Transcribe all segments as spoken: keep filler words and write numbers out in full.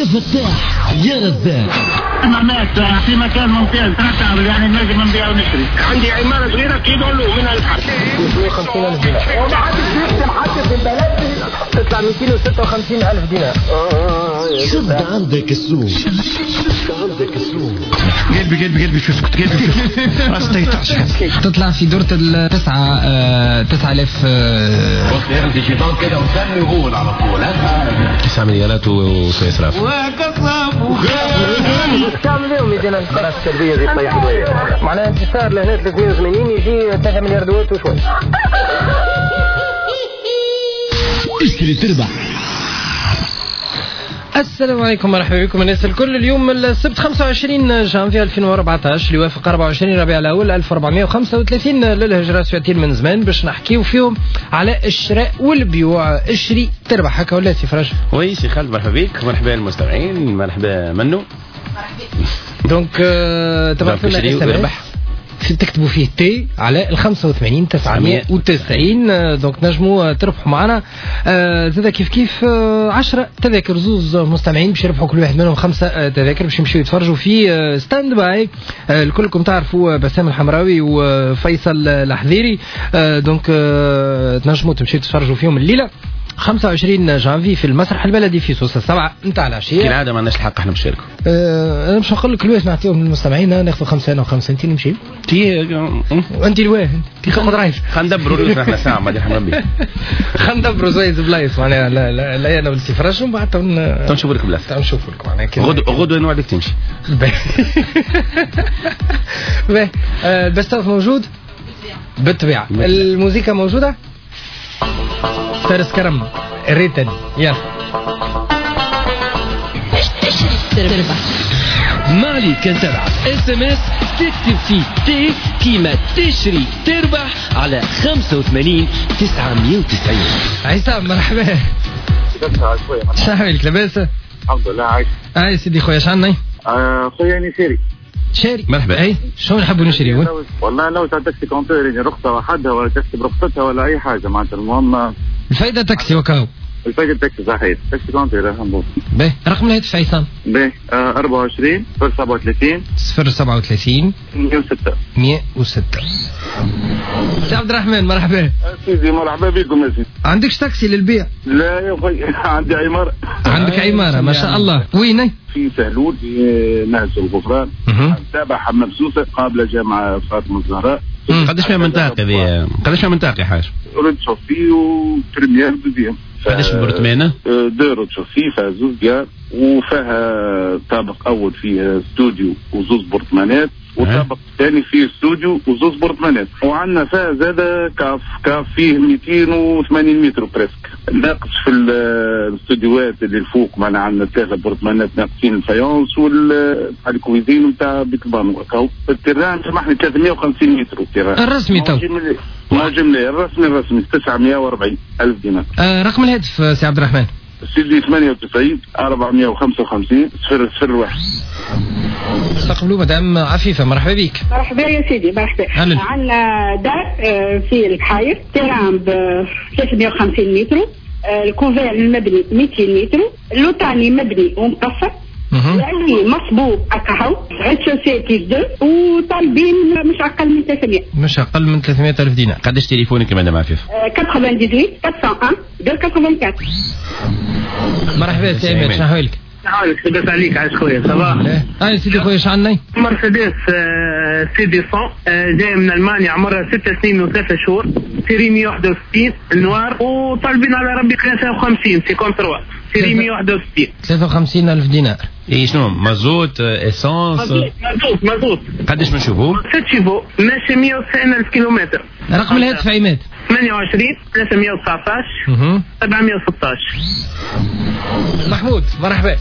يا فتاح يا رزاق. مات في مكان ممتاز يعني نجم نبيع ونشري. عندي عمارة صغيرة كيلو من البحر مئتين وخمسين ألف دينار وما حدش يخدم حتى في البلد تطلع مئتين وستة وخمسين ألف دينار. شد عندك السوق، شد عندك السوق. قلبي قلبي قلبي شو اسكت قلبي راسي تعشق. تطلع في دورة التسعة تسعة آلاف. بص ياخد الشيطان كده وسمي وقول على طول تسعة مليارات وسيصرف. كم اليوم يجينا القرارات السلبية زي طيح شوية معناها انتصار لهنا ثلاثمية وثمانين يجي ثلاثة مليار دوات وشوي. اشتري تربح. السلام عليكم، مرحبا بكم الناس الكل. اليوم السبت خمسة وعشرين جانفي ألفين وأربعة عشر اللي يوافق أربعة وعشرين ربيع الاول ألف وأربعمية وخمسة وثلاثين للهجرة. ساعتين من زمان باش نحكيو فيهم على الشراء والبيوع. اشري تربح هكا ولا سي فرج؟ oui سي خالد، مرحبا بك، مرحبا المستمعين، مرحبا منو. donc تبعثوا لنا SMS تكتبوا فيه T على ال خمسة وثمانين تسعمية وتسعين، donc نجموا تربحوا معنا. زاد كيف كيف عشرة تذاكر، زوز مستمعين باش يربحوا كل واحد منهم خمسة تذاكر باش يمشيو يتفرجوا في stand by. الكلكم تعرفوا بسام الحمراوي وفيصل الحذيري، donc تنجموا تمشيو تتفرجوا فيهم الليلة خمسة وعشرين جانفي في المسرح البلدي في سوسة السبعة نتاع العشية. كالعادة ما عندناش الحق احنا نشاركوا. أه انا مش نقول لك الواش نعطيهم للمستمعين، ناخذ خمسة انا وخمسة انت نمشي. تي وانت الواه كي تاخذ رايف. خلينا ندبروا احنا ساعة بعد يرحم ربي. خلينا ندبروا زويز بلايص معناها. لا لا لا انا ولدي فرج ومن بعد تو نشوفوا لك بلاصة. تو نشوفوا لك معناها غدوة غدوة نوعدك تمشي. باهي ال best of موجود؟ بالطبيعة. الموسيقى موجودة؟ فارس كرم الريتن يلا. تربح ما عليك كان تبعث SMS تكتب فيه T كيما تشري تربح على خمسة وثمانين تسعمية وتسعين. عصام مرحبا. شنو حوالك لاباس؟ الحمد لله عايش. اي سيدي خويا شعنا؟ خويا يعني شاري شاري. مرحبا. اي شنو نحبوا نشريو؟ والله لو تاع taxi compteur يعني رخصه وحدها ولا تاكسي برخصتها ولا اي حاجة معناتها، المهم الفايدة تاكسي وكاو. الفايدة تاكسي صحيح، taxi compteur الحمد لله. باهي رقم الهاتف عصام؟ باهي أربعة وعشرين صفر سبعة وثلاثين صفر سبعة وثلاثين مية وستة مية وستة. سي عبد الرحمن مرحبا. سيدي مرحبا بكم يا سيدي. عندكش تاكسي للبيع؟ لا يا خويا عندي عمارة. عندك عمارة ما شاء الله، وين؟ في سهلول في نهج الغفران تابع حمام سوسة قابلة جامعة فاطمة الزهراء. قداش فيها منطقة ذي؟ قداش فيها منطقة يا حاج؟ rez-de-chaussée و première deuxième. قداش برتمانة؟ deux rez-de-chaussée فيها زوز ديار وفيها طابق أول فيه استوديو وزوز برتمانات وطابق ثاني فيه استوديو وزوز برتمانات، وعندنا فيها زاد cave cave فيه مئتين وثمانين متر presque. ناقص في الاستوديوهات اللي الفوق معنا عندنا ثلاثة برتمانات ناقصين ال faïence وال cuisine نتاع بيت البانو. ال terrain سامحني ثلاثمية وخمسين متر ال terrain الرسمي تو موجم الرسمي الرسمي تسعمية وأربعين ألف دينار. آه رقم الهاتف سي عبد الرحمن؟ سيدي ثمانية وتسعين أربعمية وخمسة وخمسين صفر صفر واحد. استقبلوا مدام عفيفة مرحبا بك. مرحبا يا سيدي مرحبا. عندنا دار في البحاير terrain ب ثلاثمية وخمسين متر، ال couvert المبني مئتين متر، اللوطاني مبني ومقفر، يعني مصبوب اكاهو، rez-de-chaussée plus deux، وطالبين مش اقل من ثلاثمية. مش اقل من ثلاثمية ألف دينار. قداش تليفونك مدام عفيفة؟ ثمانية وتسعين أربعمية وواحد مئتين وأربعة وثمانين. مرحبا سي عماد شنو حوالك؟ حوالك لاباس عليك عايش خويا ça va؟ هاي سيدي خويا شعنا؟ مرسيدس CD مية جاية من المانيا عمرها ست سنين وثلاثة شهور، série مية وواحد وستين noir، وطالبين على ربي ثلاثة وخمسين cinquante-trois، série مية وواحد وستين ثلاثة وخمسين ألف دينار. اي شنو مازوت essence؟ مازوت مازوت. قداش من chevaux؟ ست chevaux ماشي مية وتسعين ألف كيلومتر. رقم الهاتف عماد؟ ثمانية وعشرين ثلاثمية وتسعطاش سبعمية وستاش. محمود مرحبا.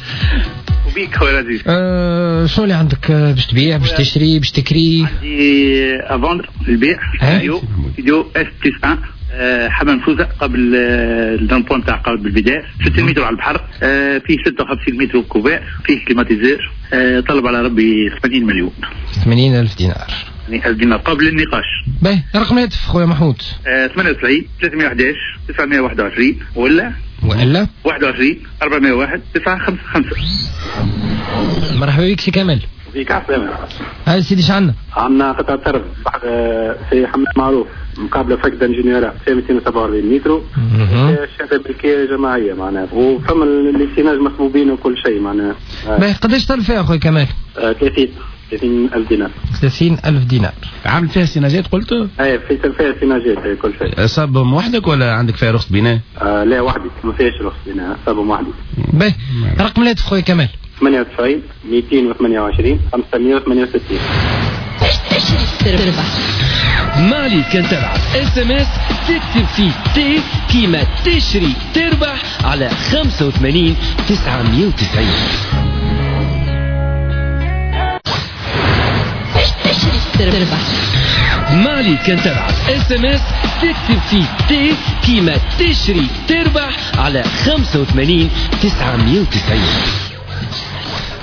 وبيك خويا العزيز. أه شنو اللي عندك باش تبيع باش تشري باش تكري؟ عندي à vendre للبيع studio studio S plus واحد حمام سوسة قبل ال rond-point تاع قبل بالبداية ستين متر على البحر، فيه ستة وخمسين متر couvert، فيه climatiseur، طلب على ربي ثمانين مليون. ثمانين ألف دينار. يعني ألف دينار قبل النقاش. باهي، رقم الهاتف خويا محمود. ثمانية وتسعين ثلاثمية وأحد عشر تسعمية وواحد وعشرين ولا ولا واحد وعشرين أربعمية وواحد تسعة خمسة خمسة. مرحبا بك سي كمال. بيك عسلامة. هاي سيدي اش عندنا؟ عندنا قطعة أرض في حمام معروف مقابلة fac d'ingénierie في مئتين وسبعة وأربعين متر، شهادة ملكية جماعية معناها، وفما les signages مصبوبين وكل شيء معناها. باهي، قداش طلب فيها خويا كمال؟ ثلاثين ثلاثين ألف دينار. ثلاثين ألف دينار. عامل فيها سيناجات قلت؟ اي في فيها سيناجات كل شيء. صابهم وحدك ولا عندك فيها رخصة بناء؟ آه لا وحدي، ما فيهاش رخصة بناء، صابهم وحدي. باهي، رقم الهاتف خويا كمال؟ ثمانية وتسعين مئتين وثمانية وعشرين خمسمية وثمانية وستين. تربح مالي كان تبعث SMS تكتب فيه T كيما تشري تربح على خمسة وثمانين تسعمية وتسعين. تربح مالي كان تبعث SMS تكتب فيه T كيما تشري تربح على خمسة وثمانين تسعمية وتسعين.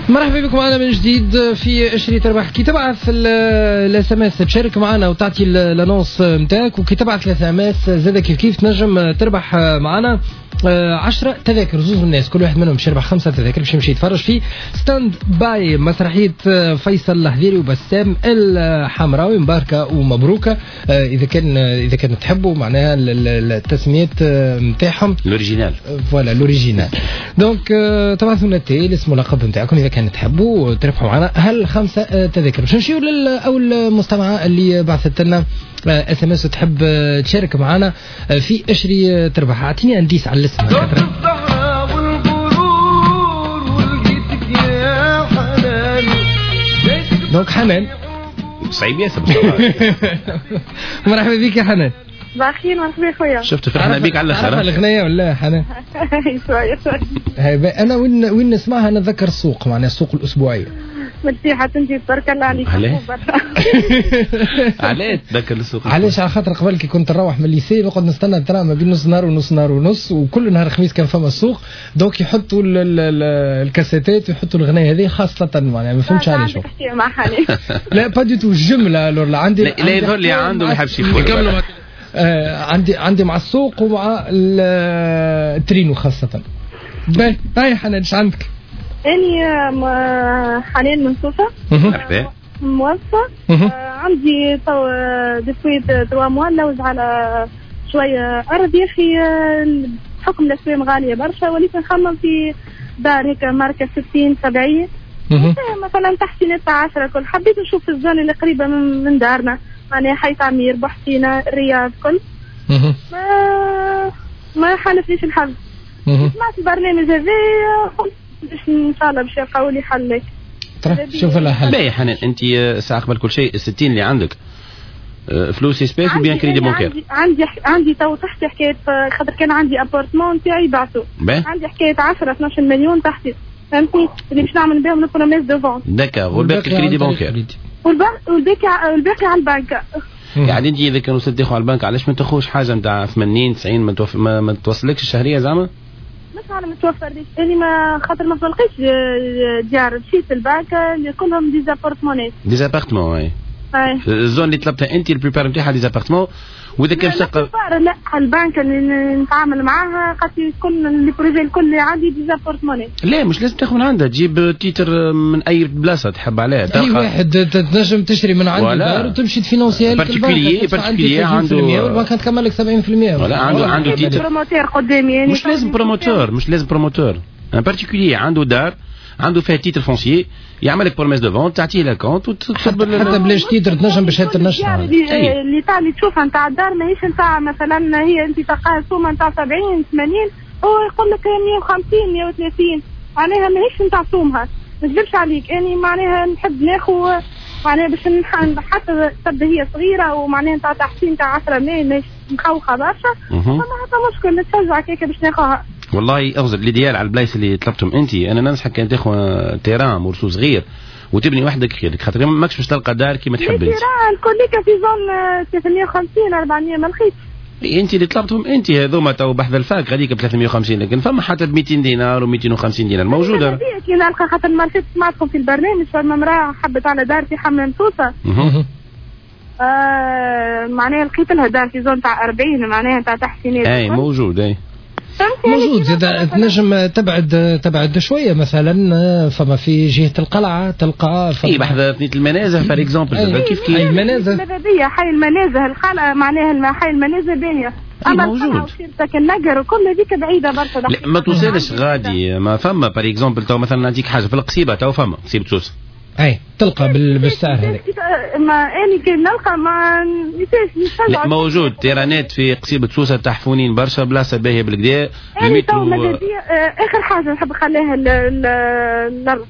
مرحبا بكم معنا من جديد في اشري تربح. كي تبعث ال SMS تشارك معنا وتعطي l'annonce نتاعك، وكي تبعث ال SMS زاد كيف كيف تنجم تربح معنا عشرة تذاكر، زوز من الناس كل واحد منهم باش يربح خمسة تذاكر باش يمشي يتفرج في Stand By مسرحية فيصل الحذيري وبسام الحمراوي. مباركة ومبروكة إذا كان إذا كان تحبوا معناها التسميات نتاعهم l'original، voilà l'original. donc تبعثوا لنا T الاسم واللقب نتاعكم إذا كان تحبوا تربحوا معنا هل خمسة تذاكر. باش نمشيو لأول مستمعة اللي بعثت لنا SMS وتحب تشارك معنا في اشري تربح. اعطيني indice على الاسم. donc حنان صعيب ياسر. مرحبا بك يا حنان. بخير مرحبا خويا. شفت فرحنا بك على الاخر. عارفه الاغنية ولا حنان؟ شوية شوية. انا وين وين نسمعها نتذكر السوق، معناها السوق الاسبوعية. مرتاحة انت تبارك الله عليك. علاش تذكر السوق؟ علاش؟ على خاطر قبل كي كنت نروح من ال lycée نقعد نستنى ال train ما بين نص نهار ونص نهار ونص، وكل نهار خميس كان فما السوق، donc يحطوا الكاسيتات ويحطوا الاغنية هذه خاصة معناها ما فهمتش علاش. لا pas du tout جملة alors عندي لا يظهر لي عنده ما يحبش يقول. عندي عندي مع السوق ومع الترينو خاصة. باهي هاي حنان ايش عندك؟ أني حنان من سوسة. مرحبا. موظفة. عندي تو depuis trois mois نلوج على شوية أرض يا أخي، بحكم الأسوام غالية برشا وليت نخمم في دار هيك ماركة ستين سبعين مثلا تحسينات تاع عشرة كل. حبيت نشوف ال zone اللي قريبة من, من دارنا معناها حي تعمير بحسينة الرياض كل. ما ما حالفنيش الحظ. سمعت البرنامج هذا قلت باش ان شاء الله باش يلقاو لي حل. شوف لها حل. باهي حنان انت ساعة قبل كل شيء الستين اللي عندك فلوس espèces ou bien crédit bancaire؟ عندي عندي تو تحت حكاية، خاطر كان عندي appartement تاعي بعته. عندي حكاية عشرة اثناش مليون تحتي، فهمتني اللي باش نعمل بهم ال promesse de vente. d'accord، والباقي crédit bancaire. والباقي والباقي على البنك. يعني انت اذا كان وصلت تاخذ على البنك علاش ما تاخذش حاجة نتاع ثمانين تسعين ما, توف... ما, ما توصلكش الشهرية زعما؟ مش على متوفر ليش اني ما خاطر ما تلقيتش ديار، مشيت البنك اللي كلهم des appartements. des appartements اي. ال zone اللي طلبتها انت ال plupart نتاعها des appartements. واذا كان شقه لا البنك اللي نتعامل معاها قالت لي كل les projets الكل اللي عندي des appartements. لا مش لازم تاخذ من عندها، تجيب titre من اي بلاصة تحب عليها. اي واحد تنجم تشري من عنده دار وتمشي تفينونسيها particulier particulier عنده والبنك تكمل لك سبعين بالمية. ولا عنده عنده titre promoteur قدامي يعني. مش لازم promoteur، مش لازم promoteur، un particulier عنده دار عنده فيها titre foncier يعمل لك promesse de vente تعطيه l'acompte وتصب. حتى بلاش titre تنجم بشهادة النشر اللي اللي تاع اللي تشوفها نتاع الدار ماهيش نتاع مثلا هي انت تلقاها سومه نتاع سبعين ثمانين هو يقول لك مية وخمسين مية وثلاثين معناها ماهيش نتاع سومها. ما نكذبش عليك اني معناها نحب ناخذ معناها باش حتى تبدا هي صغيرة ومعناها نتاع تحسين تاع عشرة ماي ماهيش مخوخه برشا، فما حتى مشكل نتشجع كيكة باش ناخذها. والله اغزر l'idéal على البلايص اللي طلبتهم انت. انا ننصحك كان تاخذ terrain morceau صغير وتبني وحدك خيرك، خاطر ماكش باش تلقى دار كيما تحب انت. terrain الكل في zone ثلاثمية وخمسين أربعمية ما لقيتش. انت اللي طلبتهم انت هذوما تو بحذا ال fac غاديك ب ثلاثمية وخمسين، لكن فما حتى ب مئتين دينار و250 دينار موجودة. كي نلقى خاطر ما سمعتكم في البرنامج فما امراة حبت على دار في حمام سوسة. آه معناها لقيت لها دار في zone تاع أربعين معناها تاع تحسينات. اي موجود اي موجود زاد تنجم تبعد تبعد شوية مثلا فما في جهة القلعة تلقى اي بحذا ثنية المنازه par exemple كيف كيف المنازه ماذا حي المنازه القلعة معناها حي المنازه باهيه اما موجود النقر وكل هذيك بعيدة برشا. لا ما توصلش غادي ما فما par exemple تو مثلا نعطيك حاجة في القصيبه تو فما قصيبه سوسة اي تلقى بالسعر هذاك. ما اني كي نلقى ما نساش. لا موجود terrain ات في قصيبه سوسة تحفونين برشا بلاصة باهيه بالكدا. المترو اخر حاجة نحب نخليها الارض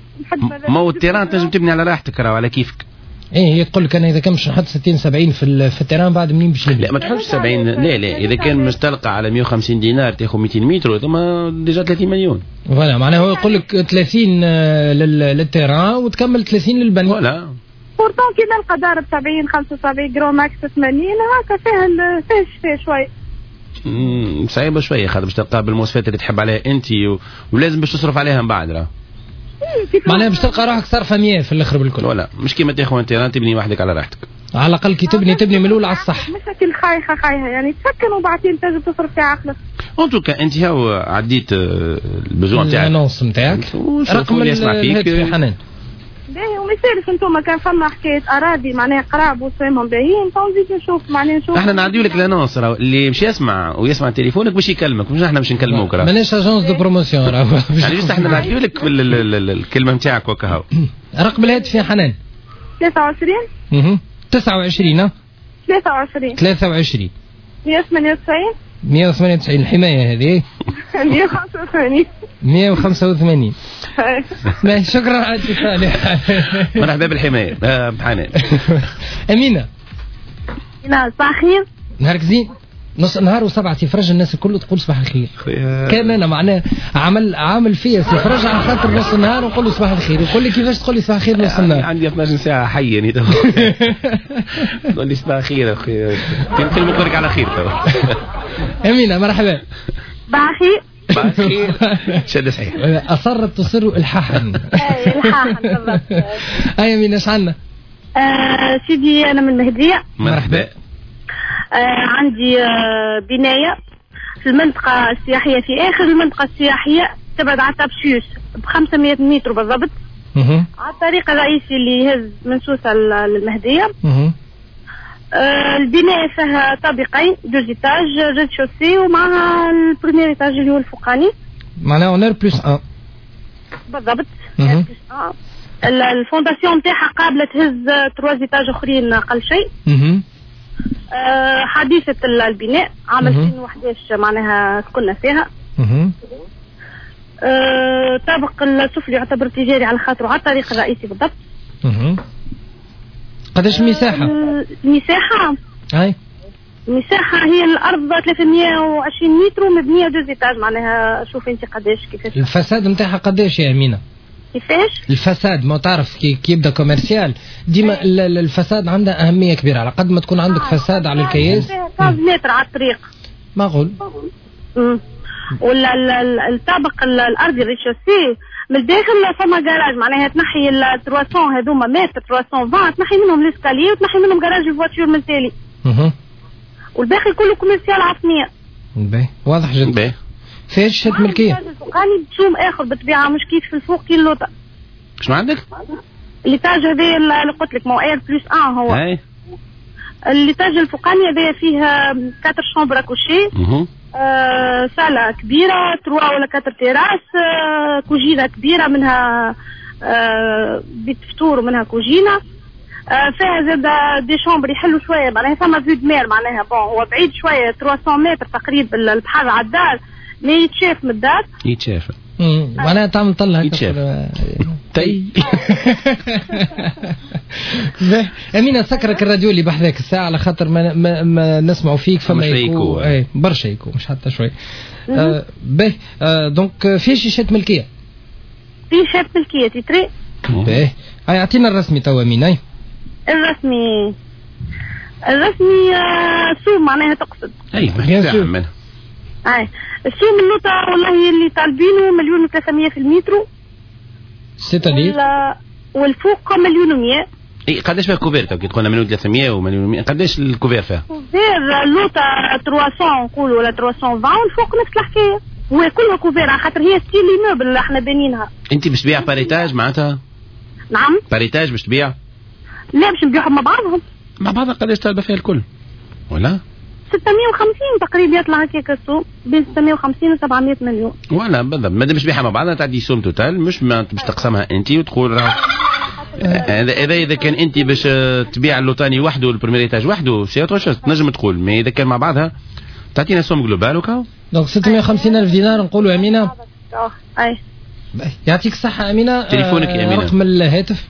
ما هو ال terrain تنجم تبني على راحتك راهو على كيفك. ايه هي تقول لك انا اذا كان مش نحط ستين سبعين في في ال terrain بعد منين باش لا ما تحطش سبعين لا لا اذا كان مش تلقى على مية وخمسين دينار تاخذ ميتين متر ثم déjà ثلاثين مليون. voilà معناها هو يقول لك ثلاثين لل terrain وتكمل ثلاثين للبني. voilà pourtant كي نلقى دار ب سبعين خمسة وسبعين grand max ثمانين هكا فيها فيها شفاه شوي. امم صعيبة شوية خاطر باش تلقاها بالمواصفات اللي تحب عليها انت و... ولازم باش تصرف عليها من بعد راه. معناها باش تلقى روحك صارفه مية في الاخر بالكل. ولا مش كيما تاخذ terrain تبني وحدك على راحتك. على الاقل كي تبني تبني من الاول على الصح. مش كي خايخه خايخه يعني تسكن وبعدين تنجم تصرف في عقلك. en tout cas انت هاو عديت ال besoin تاعك. ال annonce نتاعك. رقم اللي يسمع فيك حنان. باهي وما يسالش انتم كان فما حكاية اراضي معناها قراب وسوامهم باهيين تو نزيد نشوف معناها نشوف. احنا نعديو لك l'annonce راهو اللي مش يسمع ويسمع تليفونك باش يكلمك مش احنا باش نكلموك راه. ماناش agence de promotion راهو. يعني juste احنا نعديو لك الكلمة نتاعك وكهو. رقم الهاتف يا حنان. ثلاثة وعشرين اها تسعة وعشرين ثلاثة وعشرين ثلاثة وعشرين مية وثمانية وتسعين مية وثمانية وتسعين الحماية هذه مية وخمسة وثمانين مية وخمسة وثمانين. ماشي شكرا على الاتصال. مرحبا بالحماية بحنان. أمينة. نعم صباح الخير. نهارك زين. نص نهار وسبعة سي فرج الناس الكل تقول صباح الخير. كان انا معناه عمل عامل فيا سي فرج على خاطر نص النهار ونقول له صباح الخير يقول لي كيفاش تقول لي صباح الخير نص النهار؟ عندي اثناش ساعة حي يعني تقول لي صباح الخير اخي كلمة لك على خير تو. امينه مرحبا. صباح الخير. صباح الخير. شد صحيح. اصرت تصر الحاحا. اي الحاحا بالضبط. اي امينه اش عندنا؟ سيدي انا من المهدية. مرحبا. آه عندي آه بناية في المنطقة السياحية في آخر المنطقة السياحية تبعد على تابسيوس ب خمسمية متر بالضبط. على الطريق الرئيسي اللي يهز من سوسة للمهدية. آه البناية فيها طابقين deux étages rez-de-chaussée ومعها ال premier étage اللي هو الفوقاني. معناها en R plus un بالضبط. R plus un. ال fondation نتاعها قابلة تهز trois étages اخرين اقل شيء. أه حديثة البناء عام ألفين وأحد عشر معناها كنا فيها. أه طابق السفلي يعتبر تجاري على خاطره على الطريق الرئيسي بالضبط. قداش المساحة؟ المساحة اي المساحة هي الأرض ثلاثمية وعشرين متر ومبنية deux étages معناها شوف أنت قداش كيفاش. ال façade نتاعها قداش يا أمينة؟ كيفاش؟ ال façade ما تعرف كي, كي يبدا commercial ديما ال façade عندها أهمية كبيرة على قد ما تكون عندك آه façade على الكياس. خمسة متر على الطريق. معقول. امم ولا الطابق الأرضي ال rez-de-chaussée من الداخل فما جراج معناها تنحي ال ثلاثمية هذوما متر ثلاثمية وعشرين تنحي منهم l'escalier وتنحي منهم garage ال voitures من تالي. اها. والباقي كله commercial عصمية. باهي واضح جدا. باهي. فيش شهادة ملكية؟ الفوقاني بتشوم آخر بالطبيعة مش كيف في الفوق كي اللوطة. شنو عندك؟ l'étage هذايا اللي قلت لك مو R plus un هو. اي. l'étage الفوقاني هذايا فيه quatre chambres à coucher. آه صالة كبيرة trois ولا quatre terrasses آه كوجينة كبيرة منها آه بيت فطور ومنها كوجينة. آه فيها زاد des chambres يحلوا شوية معناها فما vue de mer معناها bon هو بعيد شوية ثلاثمية متر تقريبا البحر على الدار mais يتشاف من الدار. يتشاف. امم معناها تعمل طلة هكا. يتشاف. تي. أمينة سكرك الراديو اللي بحذاك الساعة على خاطر ما, ما, ما نسمعوا فيك فما يكو اي برشا يكو مش حتى شوي. آه باهي آه donc فيه شهادة ملكية. فيه شهادة ملكية titrée. باهي هاي اعطينا الرسمي توا أمينة. الرسمي الرسمي آه سوم معناها تقصد. اي bien sûr. اي السوم اللوطة والله اللي طالبينه مليون وثلاثمية في المترو. c'est-à-dire؟ والفوق مليون ومية. اي قداش فيها couvert كي تقولنا مليون ثلاثمية ومليون، قداش ال couvert فيها؟ couvert لوطا ثلاثمية نقولوا ولا ثلاثمية وعشرين والفوق نفس الحكاية، هو كلها couvert على خاطر هي style immeuble اللي احنا بانينها. انت باش تبيع par étage معناتها؟ نعم par étage باش تبيع؟ لا باش نبيعهم مع بعضهم. مع بعضها قداش طالبه فيها الكل؟ ولا؟ ستمية وخمسين تقريبا يطلع هكاك السوق بين ستمية وخمسين و سبعمية مليون. ولا بالضبط، مادام باش تبيعها مع بعضها تعدي somme totale، مش باش تقسمها انت وتقول راه هذا اذا اذا كان انت باش تبيع اللوطاني وحده وال premier étage وحده c'est autre chose تنجم تقول، mais اذا كان مع بعضها تعطينا somme globale وكاو. donc ستمية وخمسين الف دينار نقولوا امينه. اه اي يعطيك الصحة امينه. تليفونك يا امينه؟ رقم الهاتف؟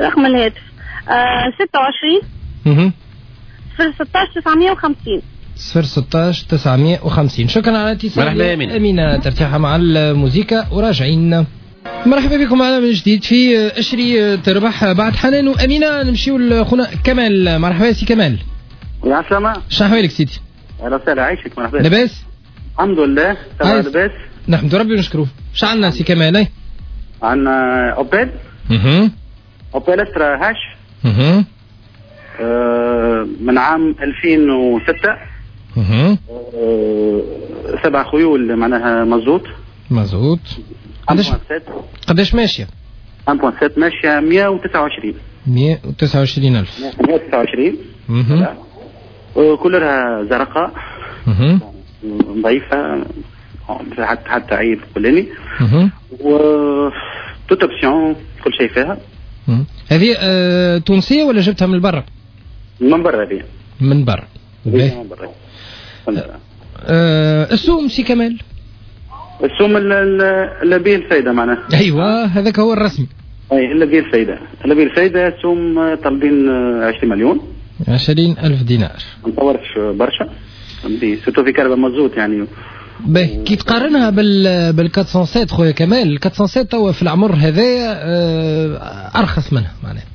رقم الهاتف آه ستة وعشرين اها صفر ستة تسعمية وخمسين صفر ستة تسعمية وخمسين. شكرا على الاتصال. مرحبا يا امينه. امينه ترتاح مع الموزيكا وراجعين. مرحبا بكم معنا من جديد في اشري تربح بعد حنان وامينه. نمشيو لخونا كمال. مرحبا سي كمال. يا سلامة، شنو احوالك سيدي؟ اهلا وسهلا، عايشك. مرحبا. لاباس؟ الحمد لله تمام لاباس، نحمد ربي ونشكروه. شو عندنا سي كمال؟ عندنا اوبل. اها Opel Astra H. اها آه من عام ألفين وستة. اها آه سبع خيول معناها مازوت. مازوت. قداش قداش ماشية؟ واحد فاصلة ستة ماشية مية وتسعة وعشرين. مية وتسعة وعشرين ألف. مية وتسعة وعشرين. اها كلها زرقاء. اها ضعيفة حتى حتى عيب كلني. اها و toutes options كل شيء فيها. هذه آه، تونسية ولا جبتها من برا؟ من برا هذه. من برا. من برا. آه، السوم سي كمال؟ السوم اللي به الفايدة معناها. ايوه هذاك هو الرسمي. اي اللي به الفايدة، اللي به الفايدة السوم طالبين عشرين مليون. عشرين ألف دينار. ما نطورش برشا. فهمتي surtout في كرهبة مازوت يعني. باهي كي تقارنها بال بال أربعمية وسبعة خويا كمال، ال أربعمية وسبعة توا في العمر هذايا ارخص منها معناها.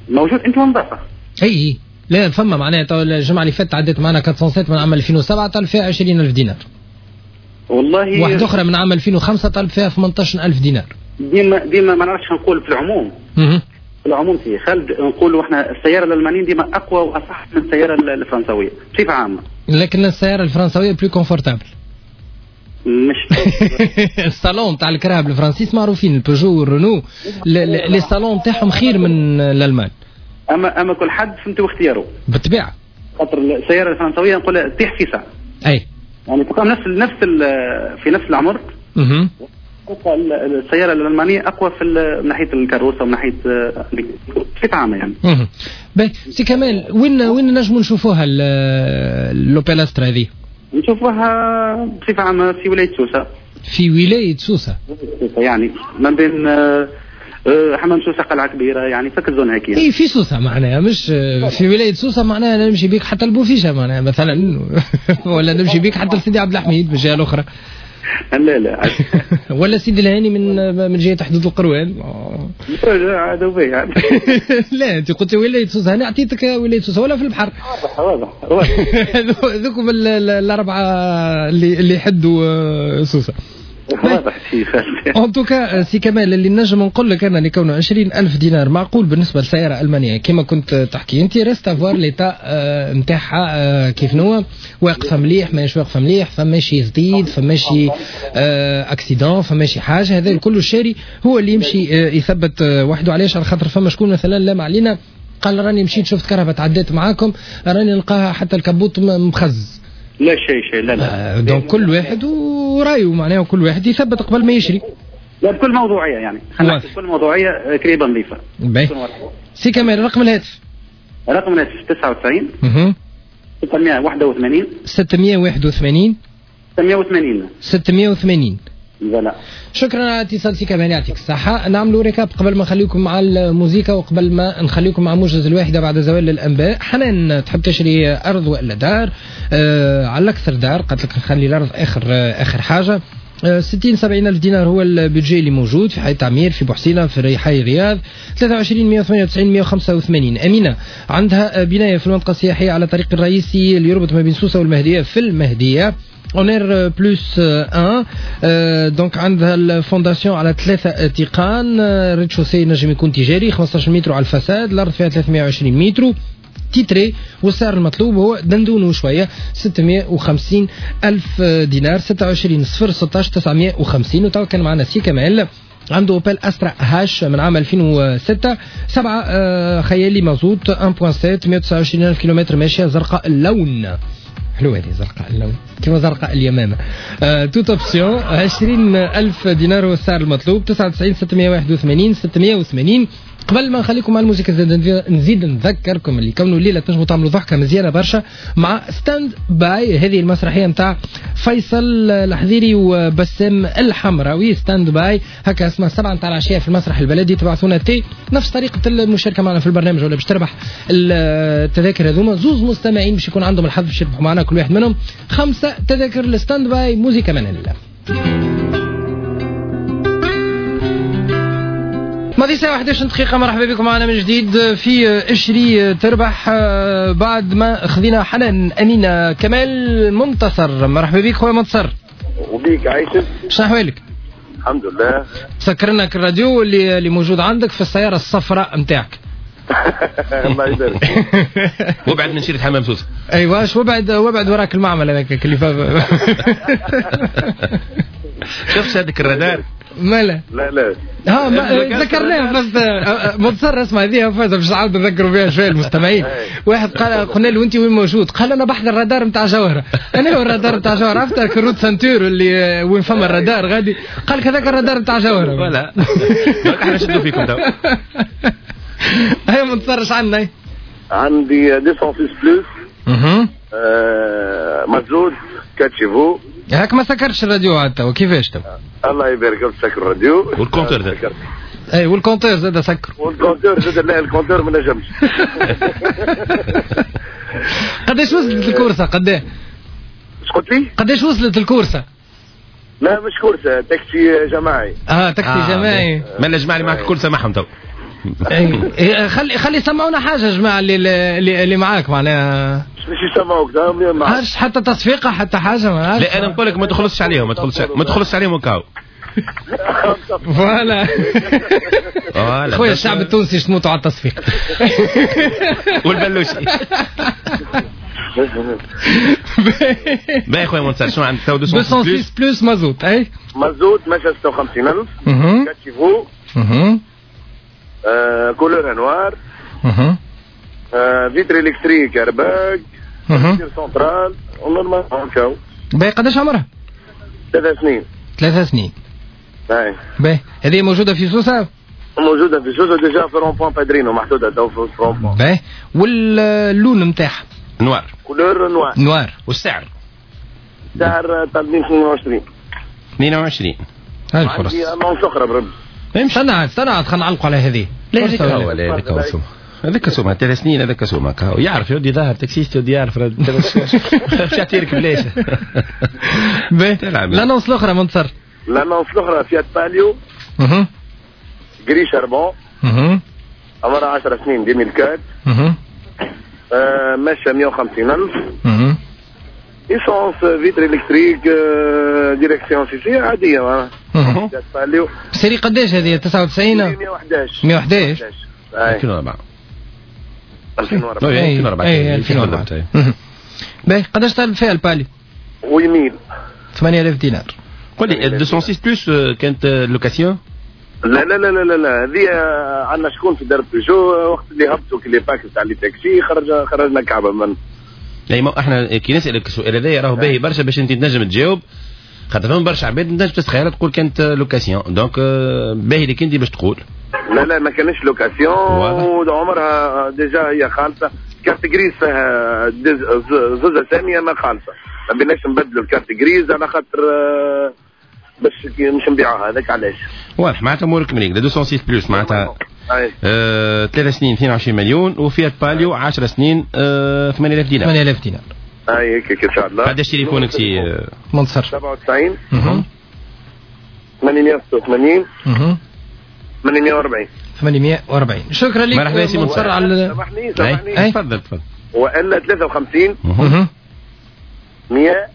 موجود انت ونظافه. اي لا فما معناها توا الجمعة اللي فاتت عدت معنا أربعمية وسبعة من عام ألفين وسبعة طلب فيها عشرين ألف دينار. والله واحدة اخرى من عام ألفين وخمسة طلب فيها ثمانية عشر ألف دينار. ديما ديما ما نعرفش نقول في العموم. اها في العموم سي خالد نقولوا احنا السيارة الالمانية ديما اقوى واصح من السيارة الفرنسويه بصفة عامة. لكن السيارة الفرنسويه plus confortable. مش الصالون تاع الكراهب الفرنسيس معروفين، البيجو والرونو les salons تاعهم خير من الالمان. اما اما كل حد فهمت واختياره. بالطبيعة. خاطر السيارة الفرنسويه نقول تطيح في ساعة. اي يعني تلقى نفس نفس في نفس العمر. اها السيارة الألمانية أقوى في من ناحية الكروسة ومن ناحية بصفة عامة يعني. اها. باهي سي كمال وين وين نجموا نشوفوها l'Opel Astra هذه؟ نشوفوها بصفة عامة في ولاية سوسة. في ولاية سوسة. يعني ما بين حمام سوسة قلعة كبيرة يعني فك ال zone هكي. اي في سوسة معناها مش في ولاية سوسة معناها نمشي بيك حتى البوفيشة معناها مثلا ولا نمشي بيك حتى لسيدي عبد الحميد من الجهة الأخرى. لا لا ولا سيدي الهاني من من جهة حدود القروان. لا عاد وبي لا انت قلت ولاية سوسة انا اعطيتك ولاية سوسة ولا في البحر. واضح واضح واضح. هذوكم الاربعة اللي اللي يحدوا سوسة. واضح سي خالد. en tout cas سي كمال اللي نجم نقول لك انا اللي كونه عشرين ألف دينار معقول بالنسبة لسيارة المانية كما كنت تحكي انت، reste à voir l'état نتاعها كيف نوع، واقفة مليح ماهيش واقفة مليح، فما شي جديد، فما شي accident، فما شي حاجة، هذا الكل الشاري هو اللي يمشي يثبت وحده. علاش؟ على خاطر فما شكون مثلا لا ما علينا قال راني مشيت شفت كرهبه تعديت معاكم راني نلقاها حتى ال capot مخز. لا شيء شيء لا لا. donc كل واحد ورايه معناه كل واحد يثبت قبل ما يشري. لا بكل موضوعية يعني خلينا نحكي بكل موضوعية كريبه نظيفة. باهي سي كمال رقم الهاتف؟ رقم الهاتف تسعة وتسعين اها ستمية وواحد وثمانين ستمية وواحد وثمانين ستمية وثمانين ستمية وثمانين. لا شكرا على اتصال سي كمال يعطيك الصحة. نعملوا récap قبل ما نخليكم مع الموزيكا وقبل ما نخليكم مع موجز الواحدة بعد زوال الأنباء. حنان تحب تشري أرض وإلا دار؟ آه على الأكثر دار، قالت لك نخلي الأرض آخر آه آخر حاجة. آه ستين سبعين ألف دينار هو ال budget اللي موجود في حي تعمير في بوحسينة في حي الرياض. ثلاثة وعشرين مئة وثمانية وتسعين مئة وخمسة وثمانين. أمينة عندها بناية في المنطقة السياحية على الطريق الرئيسي اللي يربط ما بين سوسة والمهدية في المهدية. en R plus واحد. donc عندها ال fondation على ثلاثة تيقان، rez-de-chaussée نجم يكون تجاري، خمسطاش متر على ال façade، الارض فيها ثلاثمية وعشرين متر titré، والسعر المطلوب هو دندونه شوية ستمية وخمسين الف دينار. ستة وعشرين صفر ستة عشر تسعمية وخمسين. وتو كان معنا سي كمال عنده Opel Astra H من عام ألفين وستة، سبعة خيالي مازوت واحد فاصلة سبعة، مية وتسعة وعشرين ألف كيلومتر ماشية، زرقاء اللون. حلوة هذه زرقاء اللون كما زرقاء اليمامة. toutes options، عشرين ألف دينار هو السعر المطلوب. تسعة وتسعين ستمية وواحد وثمانين ستمية وثمانين. قبل ما نخليكم مع الموسيقى نزيد نذكركم اللي كونوا الليلة تنجموا تعملوا ضحكه مزيانه برشا مع ستاند باي، هذه المسرحية نتاع فيصل الحذيري وبسام الحمراوي. ستاند باي هكا اسمها، سبعة نتاع العشية في المسرح البلدي. تبعثونا T نفس طريقه المشاركة معنا في البرنامج ولا باش تربح التذاكر هذوما. زوز مستمعين باش يكون عندهم الحظ باش يربحوا معنا، كل واحد منهم خمسة تذاكر لستاند باي. موسيقى من الله. ماضي ساعة واحد وعشرين دقيقة. مرحبا بكم معنا من جديد في اشري تربح، بعد ما خذينا حنان أمينة كمال منتصر. مرحبا بك خويا منتصر. وبيك عايشك. شنو أحوالك؟ الحمد لله. سكرنا الراديو اللي اللي موجود عندك في السيارة الصفراء نتاعك. الله يبارك. وابعد من شيرة حمام سوسة. ايوا وابعد وابعد وراك المعمل هذاك اللي فا. شفت هذاك الرادار؟ مالا لا لا ها ما ذكرناها بس منتصر. اسمع هذه فازة باش نعاود نذكروا بها شوية المستمعين. واحد قال قلنا له انت وين موجود؟ قال انا بحذا الرادار نتاع جوهره. انا هو الرادار نتاع جوهره، عرفت ال route ceinture اللي وين فما الرادار غادي، قال لك هذاك الرادار نتاع جوهره. voilà احنا شدوا فيكم تو. هيا منتصر عندنا؟ عندي مئتين وستة plus اها مازوت quatre chevaux. هاك ما سكرتش الراديو عاد تو كيفاش تو؟ الله يبارك فيك. سكر الراديو وال compteur زاد. اي وال compteur زاد سكر. وال compteur زاد. لا ال compteur ما نجمش. قداش وصلت الكورسه؟ قداه؟ اش قلت لي؟ قداش وصلت الكورسه؟ لا مش كورسه، تاكسي جماعي. اه تاكسي آه جماعي. ما الجماعة اللي معك الكل سامحهم تو. اي خلي خلي يسمعونا حاجة يا جماعة اللي اللي, اللي معاك معناها. مش يسمعوك معاك حتى تصفيقه حتى حاجة ما. لا انا نقول لك ما تخلصش عليهم، ما تخلصش ما تخلصش عليهم وكاو. voilà خويا الشعب التونسي تموتوا على التصفيق والبلوشي. باهي خويا منتصر، شنو عندك تو؟ مئتين وستة plus مازوت. اي مازوت ماشي ستة وخمسين ألف، quatre chevaux، couleur noire، vitres électriques، airbag، centrale، normal كاو. باهي قداش عمرها؟ ثلاث سنين. ثلاث سنين. باهي. باهي هذه موجودة في سوسة؟ موجودة في سوسة déjà في rond-point بادرينو محدودة تو في rond-point. باهي واللون نتاعها؟ noir. couleur noir. noir. والسعر؟ سعر طالبين اثنين وعشرين. اثنين وعشرين. هاي الفرص. عندي annonce اخرى بربي. استنى استنى خلينا نعلقوا على هذه. لا هذيك هو لا هذيك هو سوم. هذاك سومها ثلاث سنين هذاك سومها يعرف يودي ظاهر taxiste يودي يعرف باش يعطيك بلاش. باهي l'annonce الاخرى منتصر. l'annonce الاخرى Fiat Palio اها gris charbon اها عمرها عشر سنين ألفين وأربعة اها ماشية مية وخمسين ألف اها essence vitres électriques direction CC عادية معناها. Fiat Palio série قداش هذه؟ تسعة وتسعين مية وحداش. مية وحداش ألفين وأربعة. ألفين وأربعة. ألفين وأربعة. باهي قداش طالب فيها ال Palio؟ ويميل ثمانية آلاف دينار. قول لي مئتين وستة plus كانت location؟ لا لا لا لا لا هذه عندنا شكون في دار بيجو وقت اللي هبطوا les packs تاع les taxis خرج خرجنا كعبه من. لا ما احنا كي نسالك السؤال هذا راهو باهي برشا باش انت تنجم تجاوب، خاطر فما برشا عباد تنجم تتخيل تقول كانت location، donc باهي لك انت باش تقول. لا لا ما كانش location وعمرها déjà هي خالصة. carte grise فيها زوز اسامي ما خالصة، ما بيناش نبدلوا ال carte grise على خاطر باش مش نبيعوها هذاك علاش. واضح معناتها امورك مريقله. مئتين وستة plus معناتها آه، ثلاث سنين اثنين وعشرين مليون، و Fiat Palio عشر سنين آه، ثمانية آلاف دينار. ثمانية آلاف دينار. اي هيك ان شاء الله. قداش تليفونك سي منتصر؟ سبعة وتسعين ثمانمية وستة وثمانين ثمانمية وأربعين. ثمانمية وأربعين. شكرا لك. مرحبا سي منتصر على سامحني سامحني تفضل تفضل. والا ثلاثة وخمسين مية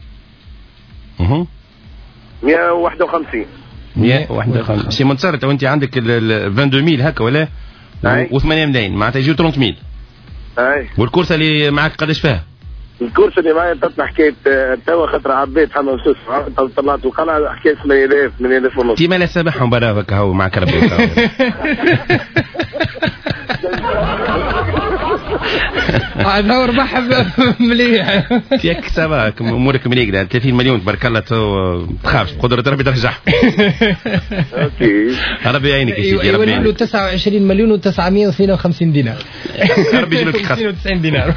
مية وواحد وخمسين. مية وواحد وخمسين. سي منتصر تو انت عندك ال اثنين وعشرين ألف هكا ولا؟ وثمانية ملايين معناتها يجيو ثلاثين ألف. اي. والكورسه اللي معك قداش فيها؟ الكورسه اللي معايا تطلع حكاية توا خاطر عبيت حمام سوس طلعت القلعة حكاية ثمانية آلاف ثمانية آلاف ونص. تي مالا سامحهم برا هكا هو معك ربي. هذا ربح مليح. ياك ça va امورك مليح ثلاثين مليون تبارك الله تو تخافش بقدرة ربي ترجع. OK ربي يعينك يا سيدي ربي يعينك. يولوا تسعة وعشرين مليون وتسعمية واثنين وخمسين دينار. ربي يجيب لك خاطر. اثنين وتسعين دينار.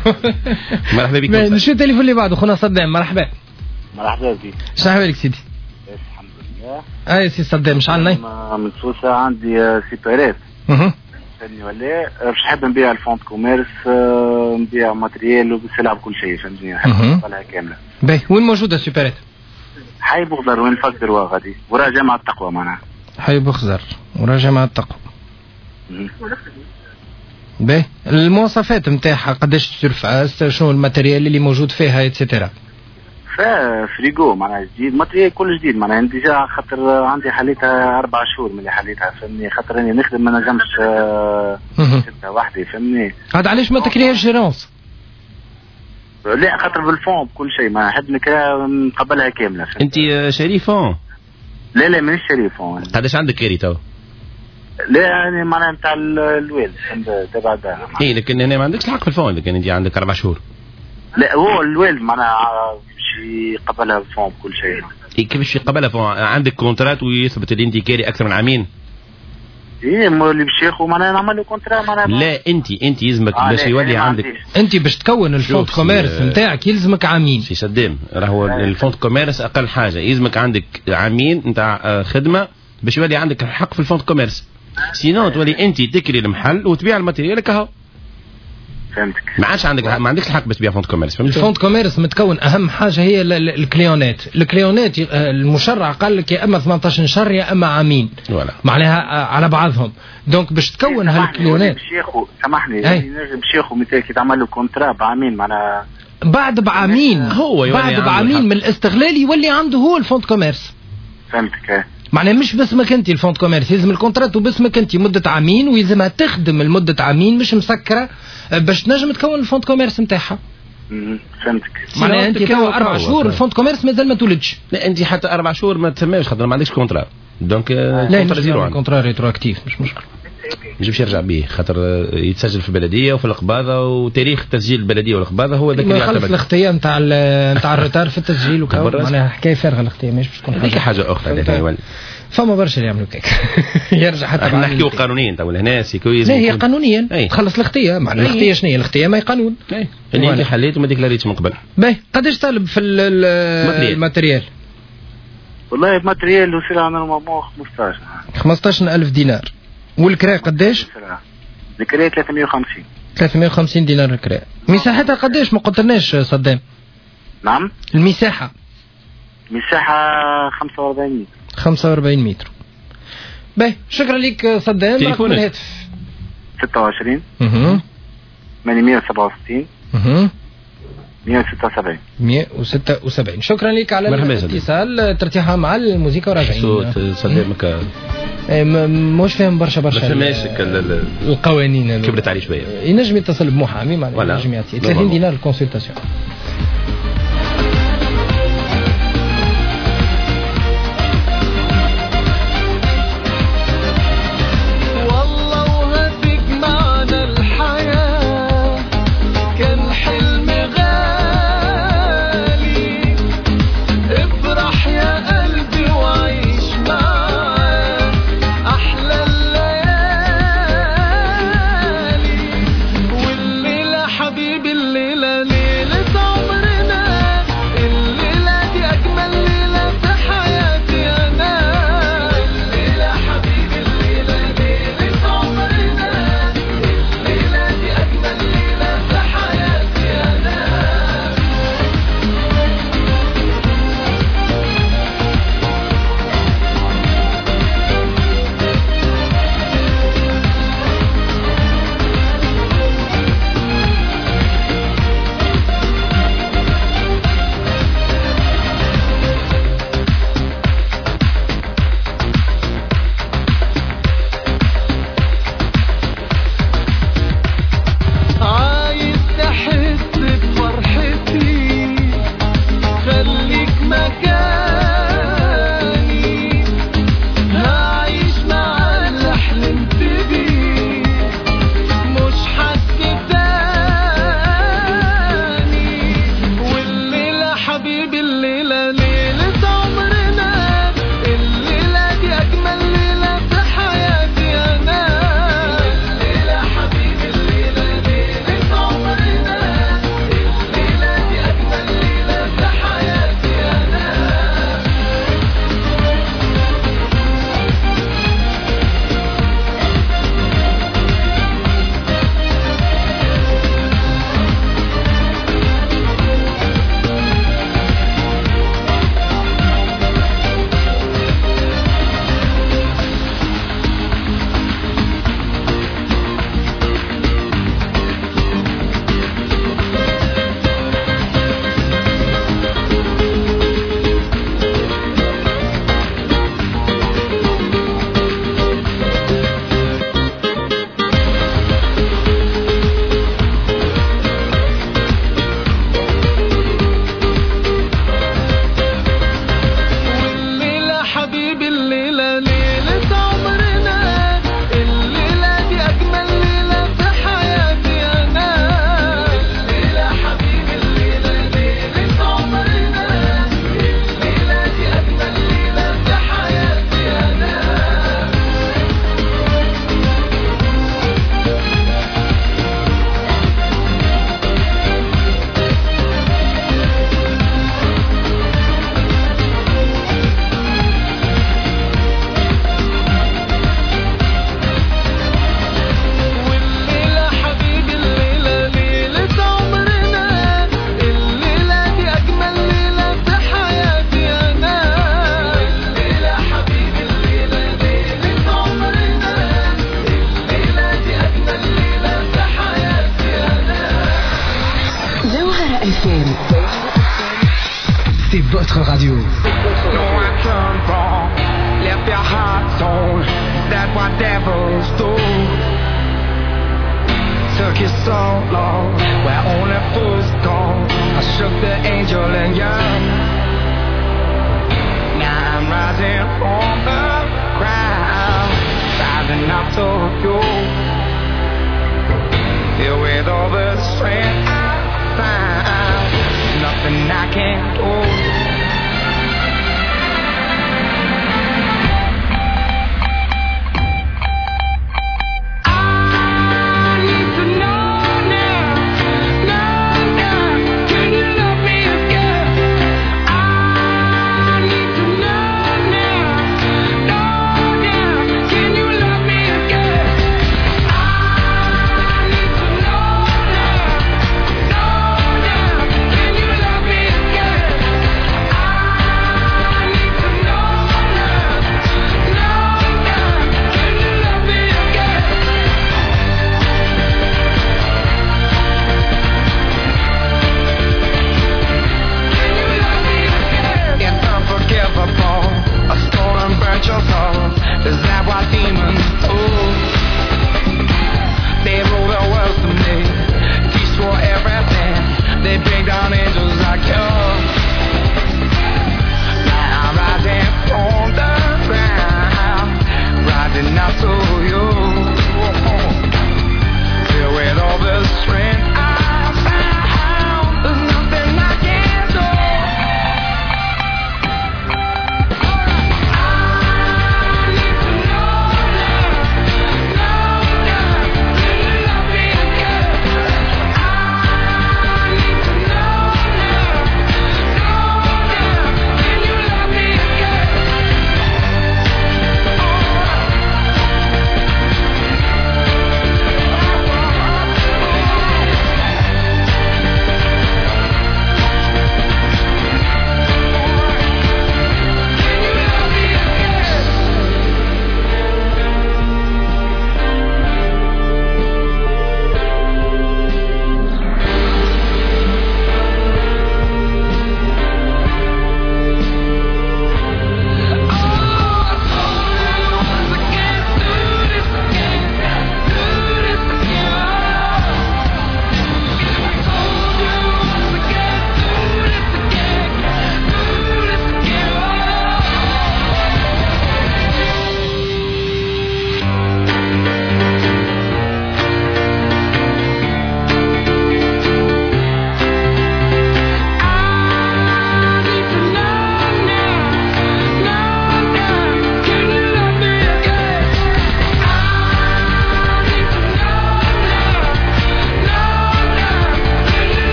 مرحبا بك. نشوف التليفون اللي بعده خونا صدام. مرحبا. مرحبا بك. شنو احوالك سيدي؟ الحمد لله. اي سي صدام شحال من سوسة عندي supérette. اها. فهمتني ولا باش نحب نبيع ال fonds de commerce نبيع matériel وبسلعه بكل شيء فهمتني نحب نوصلها كاملة. باهي وين موجودة supérette؟ حي بوخضر وين fac droit غادي ورا جامعه التقوى معناها. حي بوخضر ورا جامعه التقوى. باهي المواصفات نتاعها قداش surface شنو ال matériel اللي موجود فيها et cetera؟ فيها فريغو معناها جديد matériel كل جديد معناها déjà خاطر عندي حليتها اربع شهور من اللي حليتها فهمني خاطر اني نخدم ما نجمش نشدها وحدي فهمني. هذا علاش ما تكريهاش gérance؟ لا خاطر بال fonds بكل شيء ما نحب نكريها نقبلها كاملة. انت شاري fonds؟ لا لا مانيش شاري fonds. قداش عندك كاري تو؟ لا يعني معناها نتاع الوالد تبع الدار. اي لكن هنا ما عندكش الحق في ال fonds لكن انت عندك اربع شهور. لا هو الوالد معناها باش يقبلها fonds بكل شيء. إيه كيفاش يقبلها fonds؟ عندك contrat ويثبت اللي انت كاري اكثر من عامين؟ ايه اللي باش ياخذ معناها نعمل له contrat معناها. لا انت انت يلزمك آه باش يولي عندك انت باش تكون ال fonds commerce نتاعك يلزمك عامين. سي صدام راهو ال fonds commerce اقل حاجة يلزمك عندك عامين نتاع خدمة باش يولي عندك الحق في ال fonds commerce. sinon تولي انت تكري المحل وتبيع ال matériel كهو. فهمتك. ما عادش عندك ما عندكش الحق باش تبيع fonds commerce. فهمت؟ ال fonds commerce متكون اهم حاجة هي الكليونات، الكليونات المشرع قال لك يا اما ثمانية عشر شهر يا اما عامين. voilà. معناها على بعضهم، donc باش تكون هالكليونات. باش ياخذ سامحني نجم باش ياخذ مثال كي تعمل له contrat بعامين معناها بعد بعامين هو بعد بعامين من الاستغلال يولي عنده هو ال fonds commerce. فهمتك. معناها مش باسمك انت ال fonds commerce، يلزم ال contrat وباسمك انت مده عامين ويلزمها تخدم لمدة عامين مش مسكره باش تنجم تكون ال fonds commerce نتاعها. فهمتك. معناها انت توا اربع شهور ال fonds commerce مازال ما تولدش. لا انت حتى اربع شهور ما تسماش خاطر ما عندكش contrat. donc لا contrat zéro contrat rétroactif مش مشكل. يجبش يرجع به خاطر يتسجل في البلدية وفي القباضه وتاريخ تسجيل البلدية والقباضه هو ذاك اللي يعتمد. الخطية نتاع نتاع ال retard في التسجيل وكا معناها حكاية فارغة الخطية ماهيش باش تكون حاجة. هذيك حاجة اخرى فما برشا اللي يعملوا كيك يرجع حتى احنا نحكيو قانونيا تو هنا c'est que لا هي قانونيا تخلص الخطية معناها الخطية شنو هي؟ الخطية ما هي قانون. اللي انت حليت وما ديكلاريتش من قبل. باهي قداش طالب في ال matériel؟ والله ال matériel وسلعه normalement خمسطاش خمسطاش ألف دينار. والكراء قداش؟ الكراء ثلاثمية وخمسين. ثلاثمية وخمسين دينار الكراء. مساحتها قداش ما قلتلناش صدام؟ نعم؟ المساحة مساحة خمسة وأربعين متر. خمسة وأربعين متر. باهي شكرا لك صدام. رقم الهاتف ستة وعشرين اها ثمانمية وسبعة وستين اها مية وستة وسبعين مية وستة وسبعين. شكرا لك على الاتصال. ترتيحها مع الموسيقى وراجعين. صوت صدام مش فاهم برشا برشا القوانين كبرت عليه شوية. ينجم يتصل بمحامي معناها ينجم يعطي ثلاثين دينار ال consultation. حبيبي الليلة ليلة Votre radio. No, I turned wrong, left your heart torn. Is that what devils do? Took you so long, where only fools go. I shook the angel and young. Now I'm rising from the ground, rising up to you. Filled with all the strength I found, nothing I can't do.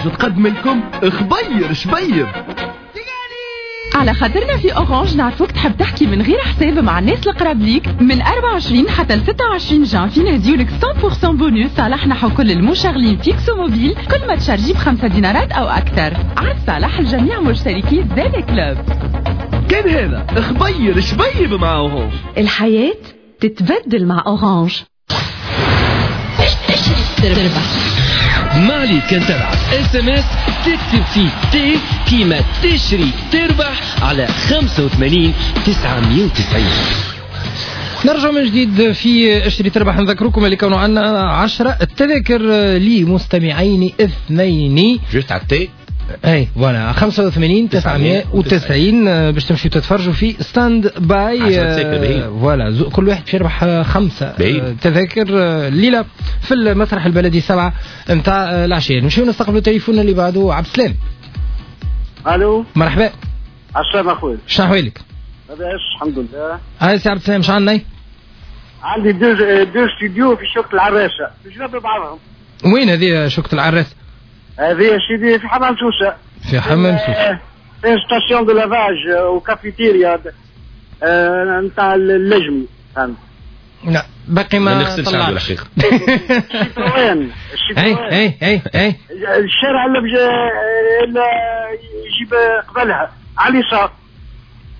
تقدم لكم خبير شبيب. على خاطرنا في Orange نعرفوك تحب تحكي من غير حساب مع الناس القراب ليك من أربعة وعشرين حتى ل ستة وعشرين جانفي نهديولك مية بالمية بونوس صالح نحو كل المشغلين fixe و mobile كل ما تشارجي بخمسة دينارات او اكثر. عاد صالح الجميع مشتركي زاد Club. كان هذا خبير شبيب مع Orange. الحياة تتبدل مع Orange. تربح ما عليك كان تبعت SMS تكتب فيه T كيما تشري تربح على خمسة وثمانين تسعمية وتسعين. نرجع من جديد في اشتري تربح. نذكركم اللي كانوا عندنا عشرة التذاكر لمستمعين اثنين juste على ال T اي voilà خمسة وثمانين تسعمية وتسعين باش تمشيو تتفرجوا في Stand By. voilà كل واحد باش يربح خمسة تذاكر الليلة في المسرح البلدي سبعة نتاع العشية. نمشيو نستقبلوا التليفون اللي بعده. عبد السلام. الو مرحبا. عسلامة اخويا. شنو احوالك؟ لاباس الحمد لله. هاي سي عبد السلام شنو عندنا؟ عندي deux deux studios في شوكة العراسة بجنب بعضهم. وين هذه شوكة العراسة؟ هذه سيدي في حمام سوسة. في حمام سوسة. في station de lavage وكافيتيريا نتاع اللجمي. فهمت. لا باقي ما ما نغسلش عنده الحقيقة. الشيتروين اي اي اي اي الشارع اللي اللي يجيب قبلها على اليسار.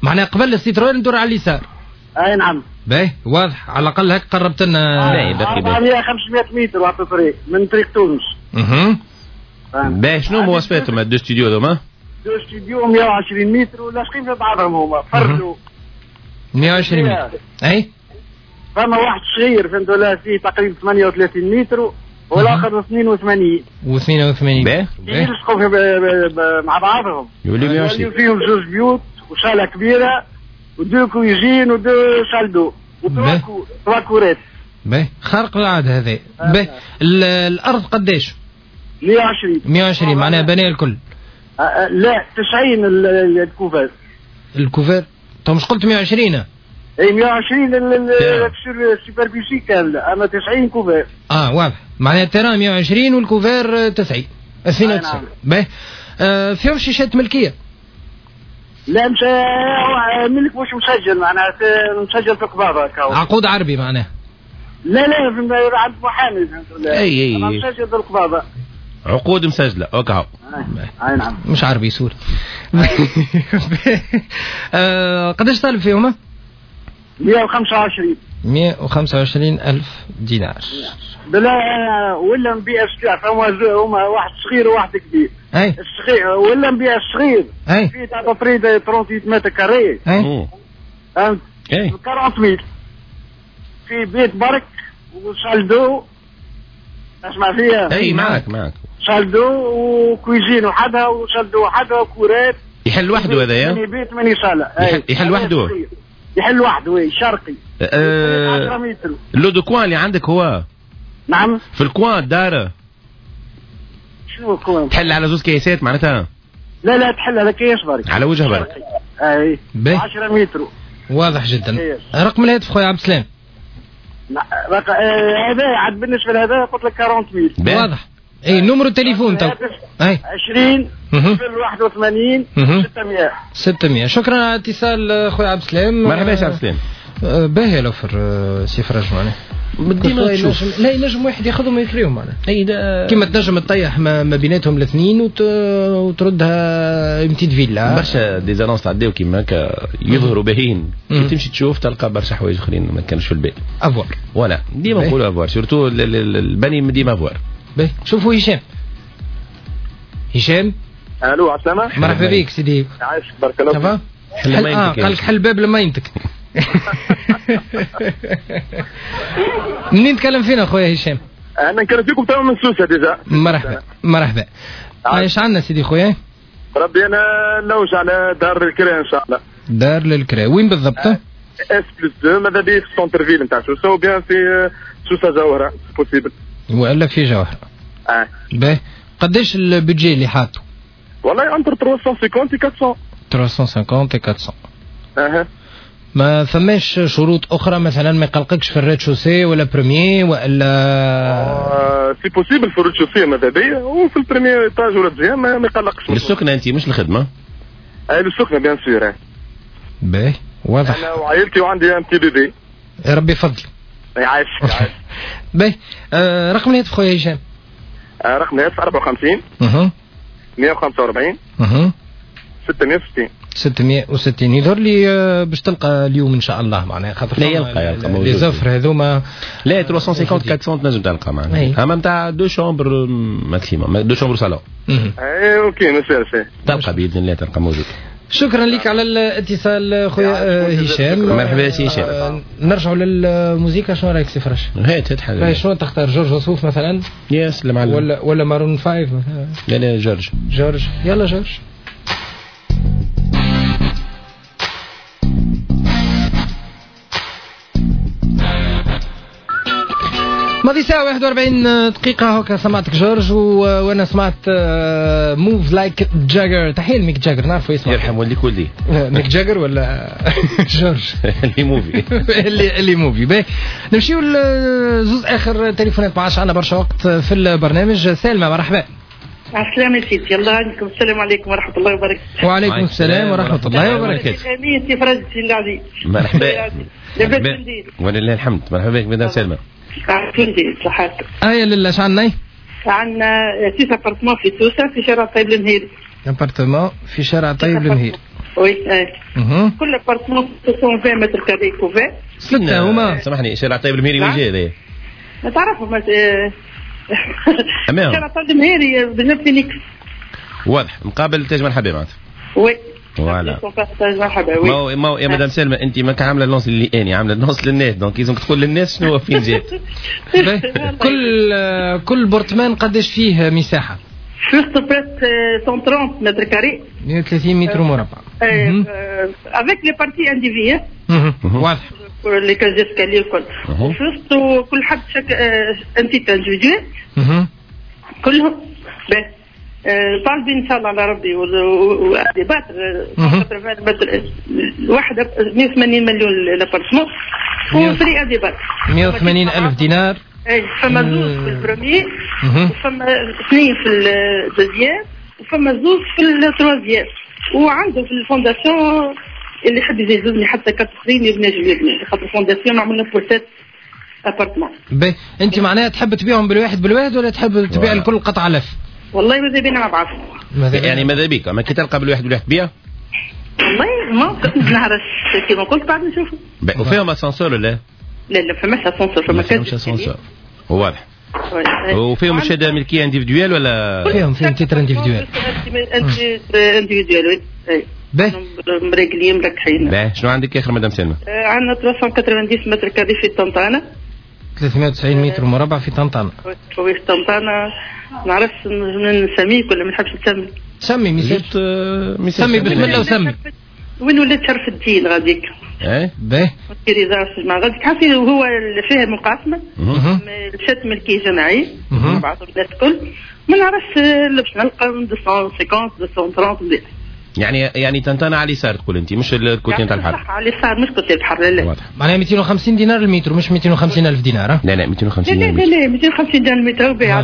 معناها قبل السيتروين ندور على اليسار. اي نعم. باهي واضح، على الاقل هيك قربت لنا. باهي باهي أربعمية خمسمية متر على الطريق من طريق تونس. اها باهي شنو مواصفاتهم ال deux studios هذوما؟ deux studios مية وعشرين متر ولاصقين في بعضهم هما فردوا. مية وعشرين متر. اي فما واحد صغير فهمت ولا فيه تقريبا ثمانية وثلاثين متر والاخر اثنين وثمانين. واثنين وثمانين. باهي يلصقوا مع بعضهم يولي مية وعشرين. فيهم زوج بيوت وصاله كبيرة و deux cuisines و deux salles d'eau و trois courettes. باهي خارق العادة هذا. باهي الارض قداش؟ مية وعشرين. مية وعشرين معناها بناء الكل. أه لا تسعين ال couvert. ال couvert طب مش قلت مية وعشرين؟ اي مية وعشرين ال superficie كاملة، اما تسعين couvert. اه واضح، معناها ال terrain مية وعشرين وال couvert تسعين اثنين وتسعين. باهي آه فيهم شيشات ملكية؟ لا مش ملك مش مسجل، معناها مسجل في قباضه. عقود عربي معناها؟ لا لا عند محامي. اي اي مسجل في القباضه. عقود مسجله okay. اي نعم مش عربي sorry. آه قداش طالب فيهما؟ مية وخمسة وعشرين. مية وخمسة وعشرين ألف دينار. بلا ولا نبيع الصغير، فما هما واحد صغير وواحد كبير. اي الصغير ولا نبيع الصغير. اي فيه تقريبا ثلاثة وثلاثين mètres carrés. اي فهمت؟ اي أربعين mille في بيت برك و salle d'eau. اسمع فيها؟ اي معك معك. salle d'eau و cuisine وحدها و salle d'eau وحدها و courette. يحل وحده هذا يا؟ ماني بيت ماني صالة. يحل, يحل وحده. يحل وحده oui شرقي. أه le deux coin اللي عندك هو؟ نعم. في ال coin دار. شنو ال coin؟ تحل على زوز كيسات معناتها؟ لا لا تحل على كيس برك. على وجه برك. اي عشرة متر. واضح جدا. رقم الهاتف خويا عبد السلام؟ هذا عاد بالنسبة لهذا قلت لك أربعين mille. واضح. اي numéro التليفون تو؟ اي عشرين صفر واحد وثمانين ستمية ستمية. شكرا على الاتصال خويا عبد السلام. مرحبا يا عبد السلام. باهي l'offre سي فرج معناها ديما تشوف. لا ينجم واحد ياخذهم ويكريهم معناها. اي كيما تنجم تطيح ما بيناتهم الاثنين وت... وتردها petite villa. برشا des annonces تعداو كيما هكا يظهروا باهين، كي تمشي تشوف تلقى برشا حوايج اخرين ما كانوش في البال. à voir voilà ديما نقولوا à voir، surtout البني ديما à voir. باهي شوفوا هشام. هشام الو عسلامة. مرحبا بك سيدي. عايشك بارك الله فيك. حل آه قال لك حل باب لمينتك. منين تكلم فينا خويا هشام؟ انا نكلم فيكم توا من سوسة déjà. مرحبا مرحبا. ايش عندنا سيدي خويا؟ ربي انا نلوج على دار للكرا ان شاء الله. دار للكرا وين بالضبط؟ S plus deux ماذا بيا في centre-ville نتاع سوسة ou bien في سوسة جوهره possible. والا في جوهره. اه باهي قداش ال budget اللي حاطه؟ والله entre ثلاثمية وخمسين و أربعمية. ثلاثمية وخمسين و أربعمية. اها ما فماش شروط اخرى مثلا ما يقلقكش في ال rez-de-chaussée ولا premier ولا آه si possible في ال rez-de-chaussée ماذا بيا وفي ال premier étage ولا deuxième ما يقلقش. للسكنه انت مش الخدمة؟ اي للسكنه bien sûr. باهي واضح. انا وعائلتي وعندي un petit bébé. يا ربي يفضل. يعيشك يعيشك. باهي آه رقم الهاتف خويا هشام؟ آه رقم الهاتف أربعة وخمسين اها مية وخمسة وأربعين اها ستمية وستين ستمية وستين. يظهر لي باش تلقى اليوم ان شاء الله معناها خاطر لا يلقى يلقى موجود les offres هذوما. لا ثلاثمية وخمسين أربعمية تنجم تلقى معناها اما نتاع deux chambres maximum deux chambres salon. اي OK مساء تلقى باذن الله تلقى موجود. شكرا لك على الاتصال خويا هشام. مرحبا سي هشام. نرجعوا للموسيقى، شنو رايك سي فرش؟ هات هات حاجة. شنو تختار جورج وسوف مثلا؟ يا سلام ولا ولا Maroon five مثلا؟ لا لا جورج. جورج يلا جورج. ماضي ساعة واحد وأربعين دقيقة هكا سمعتك جورج و... وانا سمعت Move Like Jagger. تحية لميك جاجر، نعرفه يسمع. يرحم والديك ولدي. ميك جاجر ولا جورج؟ اللي موفي اللي اللي موفي. باهي نمشيو لزوز اخر تليفونات، ما عادش عندنا برشا وقت في البرنامج. سالمة مرحبا. السلامة سيدي، الله عليكم. السلام عليكم ورحمة الله وبركاته. وعليكم السلام ورحمة الله وبركاته. امين سي فرج سي العزيز. مرحبا. لاباس ولله الحمد. مرحبا بك مدام سلمى. عافيتي صحتك. ايا لله اش عندنا؟ عندنا six appartements في سوسة في شارع طيب المهيري. appartement في شارع طيب المهيري. oui كل appartement مئتين وعشرين mètres carrés couvert. ستة هما. سامحني شارع طيب المهيري وين جاي هذايا؟ ما تعرفوا ما شارع طيب المهيري بجنب فينيكس. واضح مقابل تاج مرحبا معناتها. oui voilà. ما هو ما هو يا مدام سلمى انت ما عامله l'annonce اللي اني عامله l'annonce للناس donc لازمك تقول للناس شنو فين جات. كل كل appartement قداش فيه مساحة؟ juste presque مية وثلاثين mètres carrés. مية وثلاثين متر مربع. avec les parties indivises. واضح. les cages d'escalier الكل. juste كل حد chaque un titre individuel. كلهم باهي. طالبين ان شاء الله على ربي و à débattre متر الواحدة مية وثمانين مليون l'appartement و prix à débattre مية وثمانين الف دينار. اي فما زوز في ال premier وفما اثنين في ال deuxième وفما زوز في ال troisième وعنده في ال fondation اللي يحب يزيدني حتى quatre اخرين يبني يبني خاطر ال fondation عملنا pour sept appartements. باهي انت معناها تحب تبيعهم بالواحد بالواحد ولا تحب تبيع الكل قطعه لف؟ والله ماذا بينا مع بعض. يعني ماذا بيك اما كي تلقى بالواحد بالواحد تبيع؟ والله ما نعرفش كيما قلت بعد نشوفوا. وفيهم اسانسور ولا؟ لا لا فماش اسانسور، فما كانش اسانسور. واضح. وفيهم شهادة ملكية individuelle ولا؟ فيهم فيهم titre individuel. individuel oui. باهي مريقلين مركحين. باهي شنو عندك اخر مدام سلمى؟ عندنا ثلاثمية وتسعين mètres carrés في طنطانه. ثلاثمية وتسعين متر مربع في طنطانه. في طنطانه نعرفش نسميك ولا ما نحبش نسمي. سمي مثال سمي بسم الله وسمي. وين ولات شرف الدين غاديك. ايه باهي. مع غاديك حاسي هو فيها مقاسمه شات ملكية جماعية مع بعض الناس الكل. ما نعرفش باش نلقى مئتين وخمسين مئتين وثلاثين. يعني يعني طنطانه على اليسار تقول انت مش ال côté نتاع البحر. صح على اليسار مش côté البحر. لا لا معناها مئتين وخمسين دينار المتر مش مئتين وخمسين الف دينار. لا لا مئتين وخمسين. لا لا لا مئتين وخمسين دينار المتر وبيع.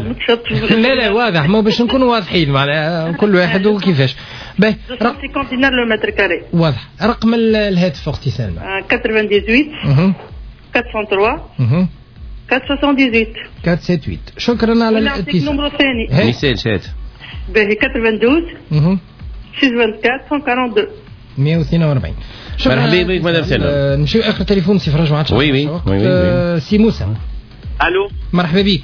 لا لا واضح ما باش نكونوا واضحين معناها كل واحد وكيفاش. باهي خمسين دينار le mètre carré. واضح. رقم الهاتف اختي سلمى؟ ثمانية وتسعين أربعمية وثلاثة أربعمية وثمانية وسبعين. شكرا على الاتصال. ال numéro الثاني مثال شات باهي اثنين اثنين ستة أربعة مية واثنين وأربعين مية واثنين وأربعين. مرحبا بك مدام سلمى. نمشيو اخر تليفون سي فرج ما عادش. oui oui oui سي موسى. الو مرحبا بك.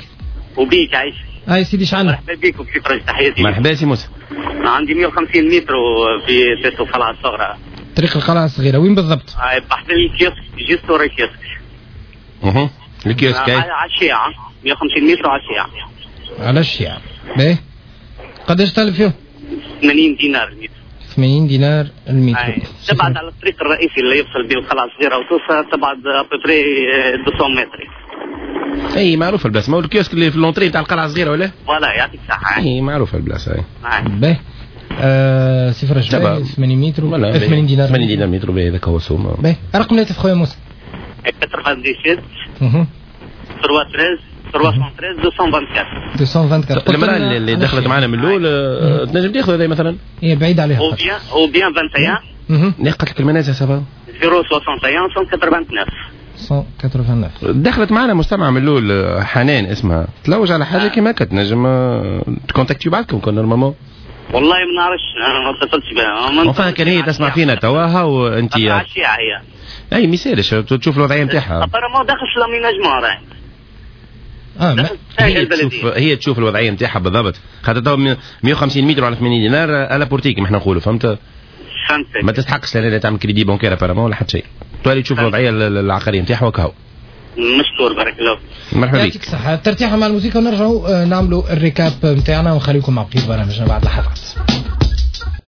وبيك عايش. هاي سيدي شعنا. مرحبا بك وسي فرج تحياتي. مرحبا سي موسى. عندي مية وخمسين متر في طريق القلعة الصغرى. طريق القلعة الصغيرة وين بالضبط؟ بحذا ال kiosque juste ورا الكيوسك. اها الكيوسك على الشيعة مية وخمسين متر على الشيعة. على الشيعة باهي. قداش طالب فيه؟ ثمانين دينار المتر. ثمانين دينار المتر. تبعد على الطريق الرئيسي اللي يفصل بين القلعة الصغيرة وتوسا تبعد à peu près مئتين متر. اي معروفة البلاصة، ما هو الكيوسك اللي في l'entrée تاع القلعة الصغيرة ولا؟ voilà يعطيك الصحة. اي معروفة البلاصة اي. باهي آه صفر جبال ثمانين متر ثمانين دينار. ثمانين دينار متر باهي هذاك هو السوم. باهي رقم الهاتف خويا موسى؟ ثمانية وتسعين ثلاثمية وثلاثة ثلاثمية وثلاثة مئتين وأربعة وعشرين. المرأة اللي دخلت معنا من الأول تنجم تاخذ هذه مثلا؟ هي بعيد عليها. ou bien ou bien واحد وعشرين. لا قالت لك المنازل ça va. صفر واحد وستين مية وتسعة وثمانين. مية وتسعة وثمانين. دخلت معنا مستمعة من الأول حنان اسمها تلوج على حاجة كيما هكا تنجم تكونتاكتي بعضكم كون normalement. والله ما نعرفش انا ما اتصلتش بها. enfin كان هي تسمع فينا تواها وانت على الشيعة هي. اي ما يسالش تشوف الوضعية نتاعها. apparemment داخل في l'aménagement راهي. اه ما هي تشوف هي تشوف الوضعية نتاعها بالضبط خاطر تو مية وخمسين متر على ثمانين دينار à la portée كيما احنا نقولوا فهمت؟ فهمت. ما تستحقش لا تعمل crédit bancaire apparemment ولا حتى شيء. تولي تشوف الوضعية العقارية نتاعها وكهو. مشكور بارك الله فيك. مرحبا بك. يعطيك الصحة. ترتيحة مع الموسيقى ونرجعوا نعملوا ال récap نتاعنا ونخليكم مع بقية برامجنا بعد لحظات.